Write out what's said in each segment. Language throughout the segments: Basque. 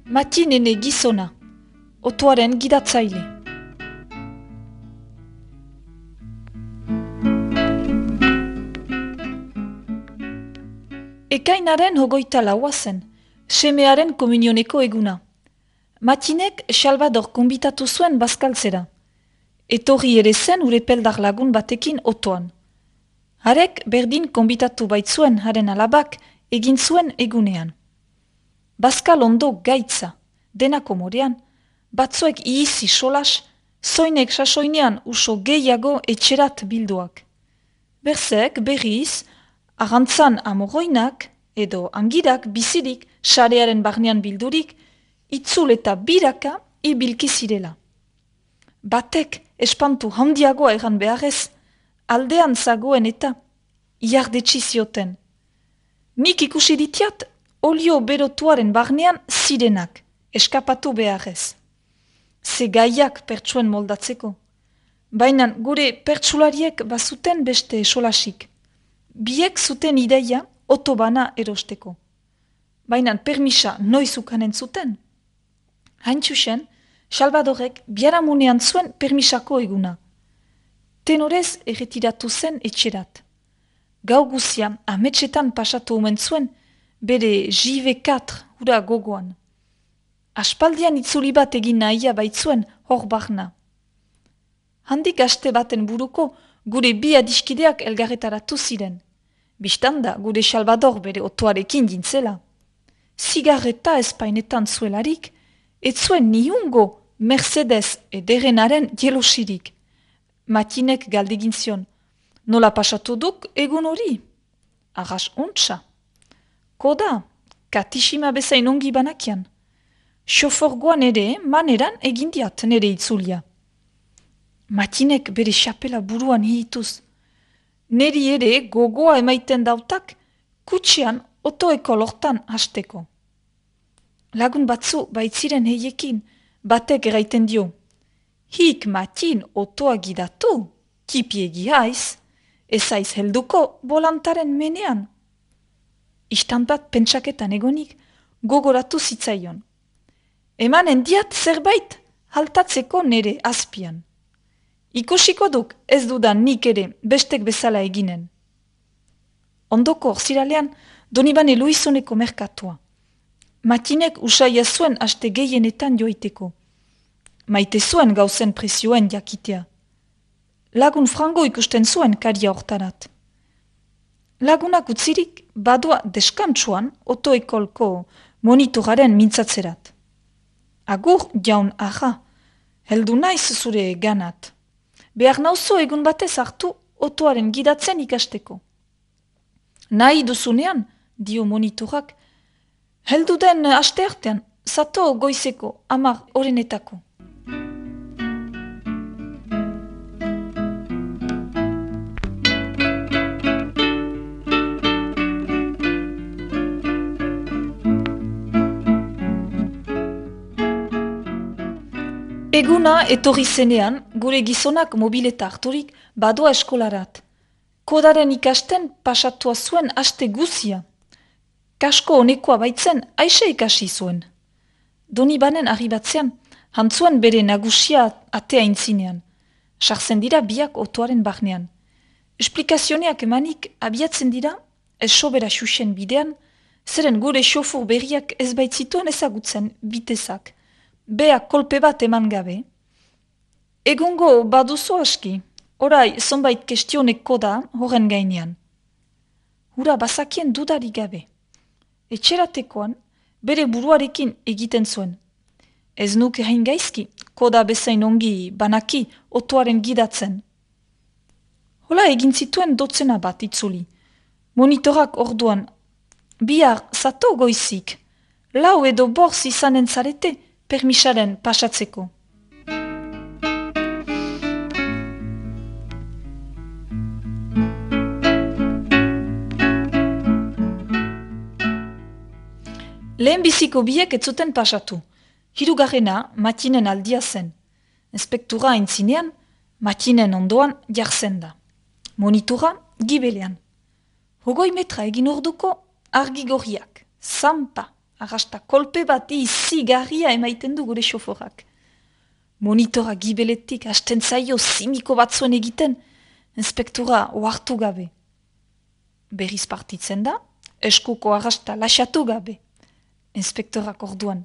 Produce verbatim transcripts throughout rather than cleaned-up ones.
Matinene gizona, otoaren gidatzaile. Ekainaren hogeita laua zen, semearen komunioneko eguna. Matinek Salvador konbitatu zuen bazkaltzera. Etorri ere zen urepeldar lagun batekin otoan. Harek berdin konbitatu baitzuen haren alabak egin zuen egunean. Bazkal ondo gaitza, denako morean, batzuek ihizi solas, zoinek sasoinean uso gehiago etxerat bilduak. Berzek berriz, arrantzan amoroinak edo angirak bizirik sarearen barnean bildurik, itzul eta biraka ibilki zirela. Batek espantu handiagoa egan beharrez, aldean zagoen eta iardetsi zioten. Nik ikusi ditiat, olio berotuaren barnean zirenak, eskapatu beharrez. Ze gaiak pertsuen moldatzeko. Baina gure pertsulariek bazuten beste solasik. Biek zuten ideia otobana erosteko. Baina permisa noiz ukanen zuten. Hain txusen, Salvadorek biaramunean zuen permisako eguna. Tenorez erretiratu zen etxerat. Gau guzia ametsetan pasatu omen zuen, bere J V katr hura gogoan. Aspaldian itzuli bat egin nahia baitzuen hor barna. Handik aste baten buruko gure bi adiskideak elgarretaratu ziren. Bistanda gure Salvador bere otoarekin dintzela. Zigarreta espainetan zuelarik, ez zuen niungo Mercedes ederenaren jelosirik. Matinek galdegin zion, nola pasatu duk egun hori? Arras ontsa. Koda, katisima bezain ongi banakian. Xoforgoan ere maneran egindiat nere itzulia. Matinek bere xapela buruan hituz. Neri ere gogoa emaiten dautak kutxean otoeko lortan hasteko. Lagun batzu baitziren heiekin batek eraiten dio. Hik Matin otoa gidatu, kipiegi haiz, ez haiz helduko bolantaren menean. Istan bat pentsaketan egonik gogoratu zitzaion. Emanen diat zerbait haltatzeko nere azpian. Ikusiko duk ez dudan nik ere bestek bezala eginen. Ondoko orziralean Donibane Luizoneko merkatua. Matinek usaia zuen aste gehienetan joiteko. Maite zuen gauzen presioen jakitea. Lagun frango ikusten zuen karia hortarat. Lagunak utzirik badua deskantsuan otoekolko monitoraren mintzatzerat. Agur jaun aha, heldu naiz zure ganat. Behar nauzo egun batez hartu otoaren gidatzen ikasteko. Nahi duzunean, dio monitorak, heldu den aste artean, zato goizeko amar orenetako. Eguna etorri zenean, gure gizonak mobileta harturik badoa eskolarat. Kodaren ikasten pasatua zuen aste guzia. Kasko honekoa baitzen aixe ikasi zuen. Donibanen arribatzean, hantzuen bere nagusia atea intzinean. Sartzen dira biak otoaren barnean. Esplikazioneak emanik abiatzen dira, ez sobera xuxen bidean, zeren gure xofur berriak ez baitzituen ezagutzen bitezak. Bea kolpe bat eman gabe. Egungo baduzo aski, orai zonbait kestioneko da horren gainean. Hura bazakien dudari gabe. Etxeratekoan bere buruarekin egiten zuen. Ez nuke hain gaizki, koda bezain ongi banaki otoaren gidatzen. Hola egin zituen dotzena bat itzuli. Monitorak orduan, bihar zato goizik, lau edo borz izanen zarete, permisaren pasatzeko. Lehen biziko biek ez zuten pasatu. Hirugarrena Matinen aldia zen. Inspektura aintzinean, Matinen ondoan jartzen da. Monitora gibelean. Hogoi metra egin orduko argi gorriak, zampa, arrasta kolpe bat izigarria emaiten du gure xoforak. Monitora gibeletik hasten zaio zimiko batzuen egiten, inspektora ohartu gabe. Berriz partitzen da, eskuko arrasta lasatu gabe. Inspektorak orduan.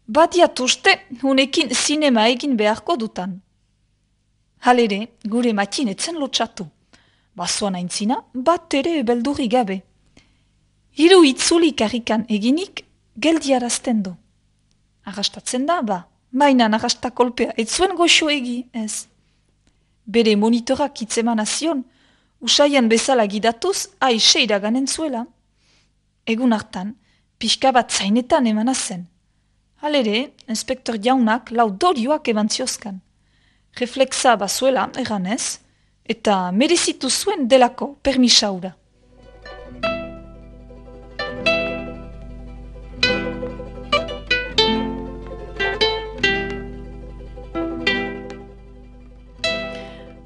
Badiat uste, hunekin zinema egin beharko dutan. Halere, gure matxin etzen lotxatu. Basoan aintzina, bat ere beldurri gabe. Hiru itzuli karrikan eginik, geldiarazten du. Arrastatzen da, ba, mainan arrasta kolpea, ez zuen goxo egi, ez. Bere monitorak itzeman azion, usaian bezala gidatuz, aixe iraganen zuela. Egun hartan, pixka bat zainetan emana zen. Halere, inspektor jaunak lau dorioak eban ziozkan. Reflexa bazuela, eganez, eta merezitu zuen delako permisaura.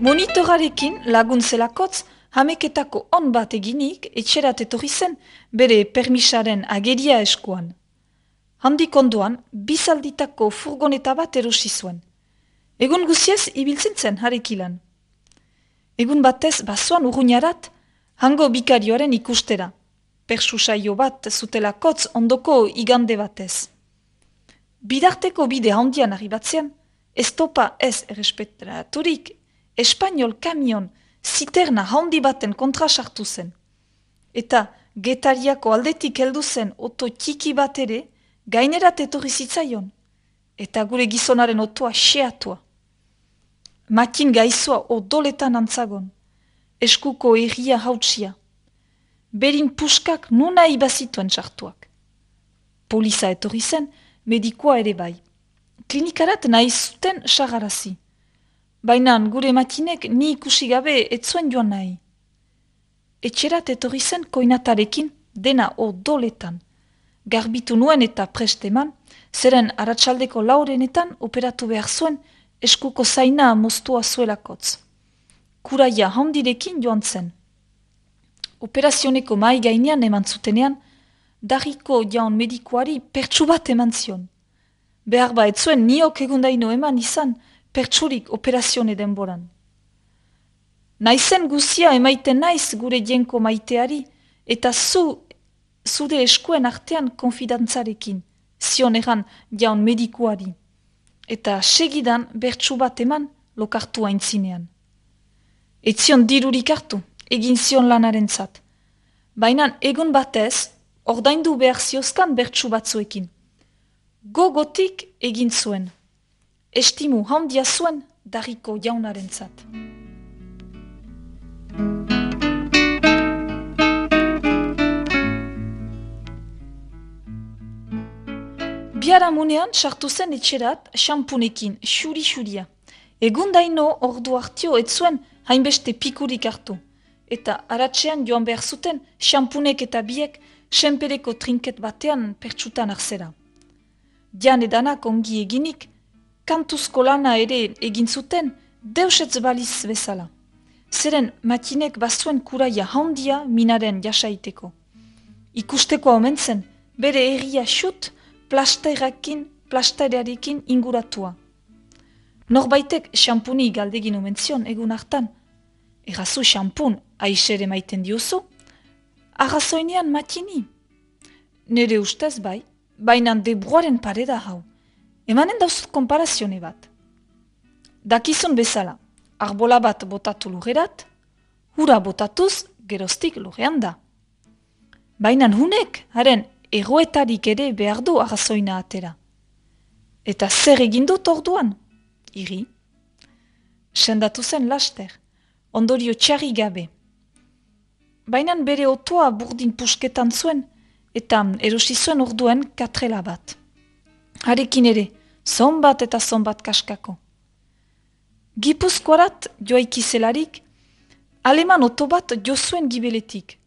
Monitorarekin lagun zelakotz, hameketako on bat eginik etxerat etorri zen bere permisaren ageria eskuan. Handik ondoan, bizalditako furgoneta bat erosi zuen. Egun guziez ibiltzen zen harekilan. Egun batez basoan urruñarat, hango bikarioaren ikustera. Persu saio bat zutelakotz ondoko igande batez. Bidarteko bide handian arribatzean, ez topa ez errespetaturik, Espainol kamion ziterna handi baten kontra sartu zen. Eta Getariako aldetik heldu zen oto txiki bat ere gainerat etorri zitzaion. Eta gure gizonaren otoa xeatua. Makin gaizua odoletan antzagon. Eskuko erria hautsia. Berin puskak nuna ibazituen sartuak. Poliza etorri zen, medikoa ere bai. Klinikarat nahi zuten sagarazi. Baina gure matinek ni ikusi gabe etzuen joan nahi. Etxerat etorri zen koinatarekin dena odoletan. Garbitu nuen eta presteman, zeren aratsaldeko laurenetan operatu behar zuen eskuko zaina moztua zuelakotz. Kuraia handirekin joan zen. Operazioneko mai gainean eman zutenean, darriko jaun medikoari pertsu bat eman zion. Behar ba etzuen niok egundaino eman izan, pertsurik operazione denboran. Naizen guzia emaiten naiz gure jenko maiteari, eta zu, zure eskuen artean konfidantzarekin, zion egan jaun medikuari. Eta segidan bertsu bat eman lokartu aintzinean. Etzion dirurik hartu, egin zion lanaren zat. Baina egun batez, ordaindu behar ziozkan bertsu batzuekin. Gogotik egin zuen. Estimu handia zuen darriko jaunaren zat. Biaramunean sartu zen etxerat xampunekin, xuri-xuria. Egun daino ordu hartio ez zuen hainbeste pikurik hartu. Eta aratsean joan behar zuten xampunek eta biek senpereko trinket batean pertsutan arzera. Jan edanak ongi eginik, kantuzko lana ere egin zuten deusetz baliz bezala. Zeren matinek bazuen kuraia handia minaren jasaiteko. Ikusteko omen zen, bere herria xut plastairakin, plastairarekin inguratua. Norbaitek xampuni galdegin omen zion egun hartan. Errazu xampun aixere maiten diozu? Arrazoinean matini. Nere ustez bai, bainan debruaren pareda hau. Emanen dauzut konparazione bat. Dakizun bezala, arbola bat botatu lugerat, hura botatuz geroztik lugean da. Bainan hunek, haren egoetarik ere behar du arrazoina atera. Eta zer egin dut orduan? Iri. Sendatu zen laster, ondorio txarri gabe. Bainan bere otoa burdin pusketan zuen, eta erosi zuen orduen katrela bat. Harekin ere, zonbat eta zonbat kaskako. Gipuzkoarat joaikizelarik, aleman oto bat jo zuen gibeletik.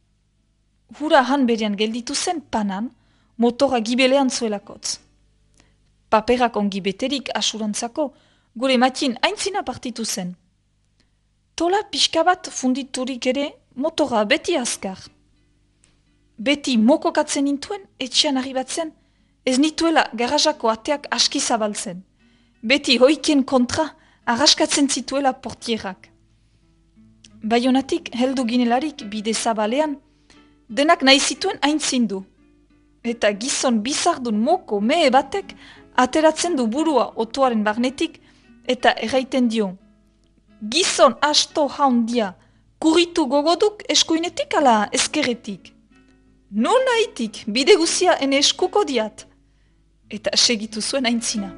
Hura han berean gelditu zen panan, motora gibelean zuelakotz. Paperak ongi beterik asurantzako, gure matin aintzina partitu zen. Tola pixka bat funditurik ere, motora beti azkar. Beti mokokatzen nintuen, etxean arribatzen, ez nituela garajako ateak aski zabaltzen. Beti hoikien kontra, arraskatzen zituela portierak. Baionatik heldu ginelarik bide zabalean, denak nahi zituen aintzindu. Eta gizon bizardun moko mehe batek ateratzen du burua otoaren barnetik eta erraiten dio. Gizon asto haundia, kuritu gogoduk eskuinetik ala eskeretik. Non nahitik, bide guzia ene eskuko diat. Eta segitu zuen aintzina.